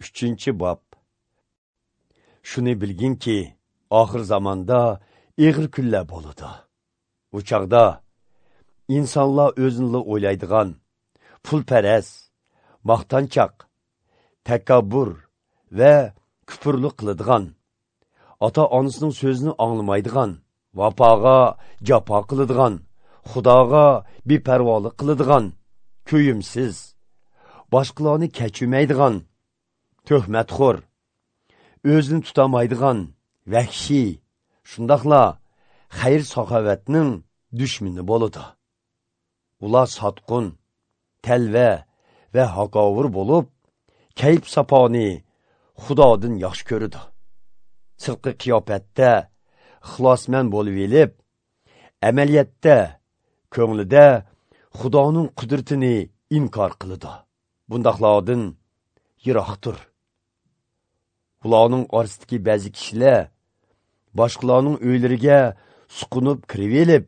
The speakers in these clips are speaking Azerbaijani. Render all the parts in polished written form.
3. Bab. Şunu bilgin ki, ahir zamanda ağır kunlar boludu. Bu çağda insanlar özünle oylaydigan, pulperest, maqtançaq, takabbur ve küfürlük kılıdigan, ata-anasının sözünü anlamaydigan, vapaga japa kılıdigan, Xudaga beparvolik kılıdigan, köyümsiz, başqalarını keçirmeydigan, töhmetxor, özünü tutamaydigan, vahşi, şundaqla xayr-saxavatning düşmini boludu. Ular satqun, telve ve hakavur bolup, kayıp sapani Xudodan yaxshi ko'rdi. Sirqi qiyofatda ixlosmand bo'lib elib, amaliyotda ko'nglida Xudoning qudratini inkor qildi. Bundaqlardan yiroqdir. Ularning orasidagi ba'zi kishilar boshqalarning uylariga suqunib kirib elib,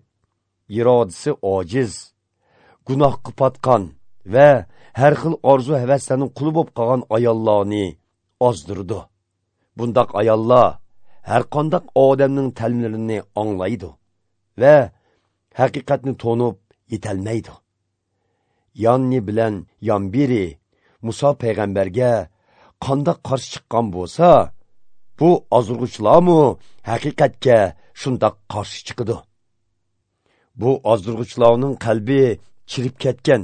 irodasi ojiz, gunohga patqan ve her xil orzu-havaslarning quli bo'lib qolgan ayollarni ozdirdi. Bundaq ayollar her qandaq odamning ta'limlarini anglaydi ve haqiqatni to'nib yetolmaydi. Yanni bilan Yambiri Musa payg'ambarga qandaq qarshi chiqqan bo'lsa, bu ozdirg'uchilarmi haqiqatga shundaq qarshi chiqadi. Bu ozdirg'uchilarning qalbi chirib ketgan,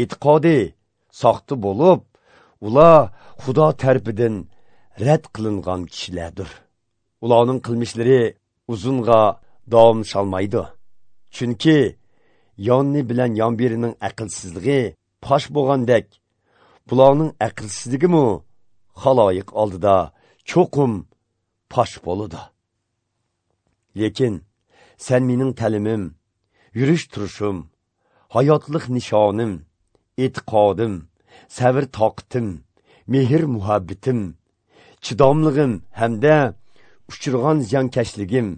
e'tiqodi soxta bo'lib, ular Xudo tarafidan rad qilingan kishilardir. Ularning qilmishlari uzunga davom shalmaydi. Chunki Yonni bilan Yambirining aqlsizligi pash bo'lgandek, bularning aqlsizligimi xaloyiq oldida cho'qim pash bo'ladi. Lekin sen mening ta'limim, yurish turishim, hayotlik nishonim, e'tiqodim, sabr toqatim, mehr muhabbatim, chidomligim hamda uchirgan ziyonkashligim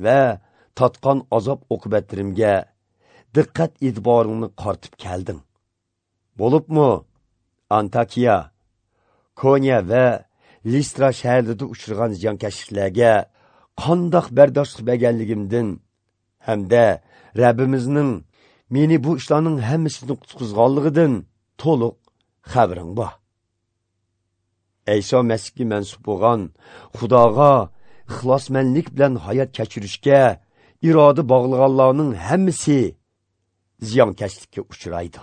va tatqan azob oqibatlarimga diqqat e'tiboringni qartib kelding. Bo'libmi Antakiya, Konya ve Listra shaharlarida uchirgan ziyonkashliklarga qandoq bardoshlik berganligimdan hamda Rabbimizning meni bu ishlarning hammasini qutqizganligidan to'liq xabaring bor. Eyso Masihga mansub bo'lgan Xudoga ixlosmandlik bilan hayot kechirishga iroda bog'laganlarning hammasi ziyonkashlikka uchraydi.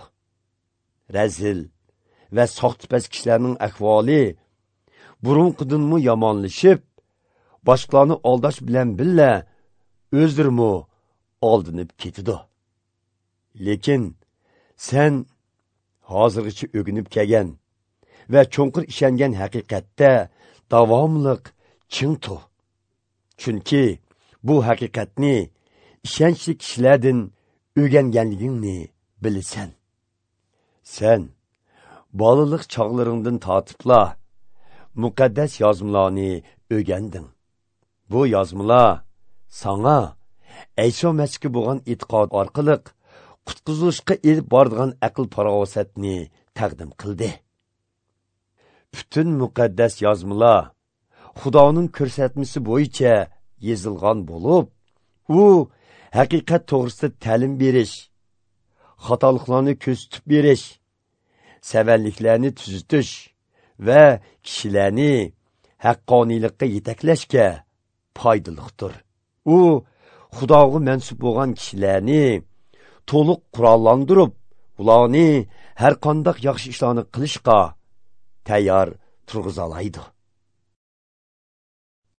Razil ve soxtipaz kishilarning ahvoli burunqidanmi yomonlashib, boshqalarni aldash bilan billa o'zdirmi oldinib ketidi. Lekin sen hozirgacha o'ginib kelgan ve cho'nqir ishongan haqiqatda davomliq chin tur. Chunki bu haqiqatni ishonchli kishilardan o'rganganligingni bilasan. Sen balılık çağlarından tatipla mukaddes yazmalarını öğendin. Bu yazmalar sana Eyso Masihga bo'lgan e'tiqod orqali qutqizilishga elib boradigan aql farosatni taqdim qildi. Bütün mukaddes yazmalar Xudoning ko'rsatmasi bo'yicha yozilgan bo'lib, u haqiqat to'g'risida ta'lim berish, xatoliklarni ko'rsatib berish, sevenliklerini tuzitish ve kişilerini haqqoniylikka yetaklashga foydalidir. U Xudoga mansub bo'lgan kishilarni to'liq qurollantirib, ularni har qanday yaxshi ishlarni qilishga tayyor turg'izalaydi.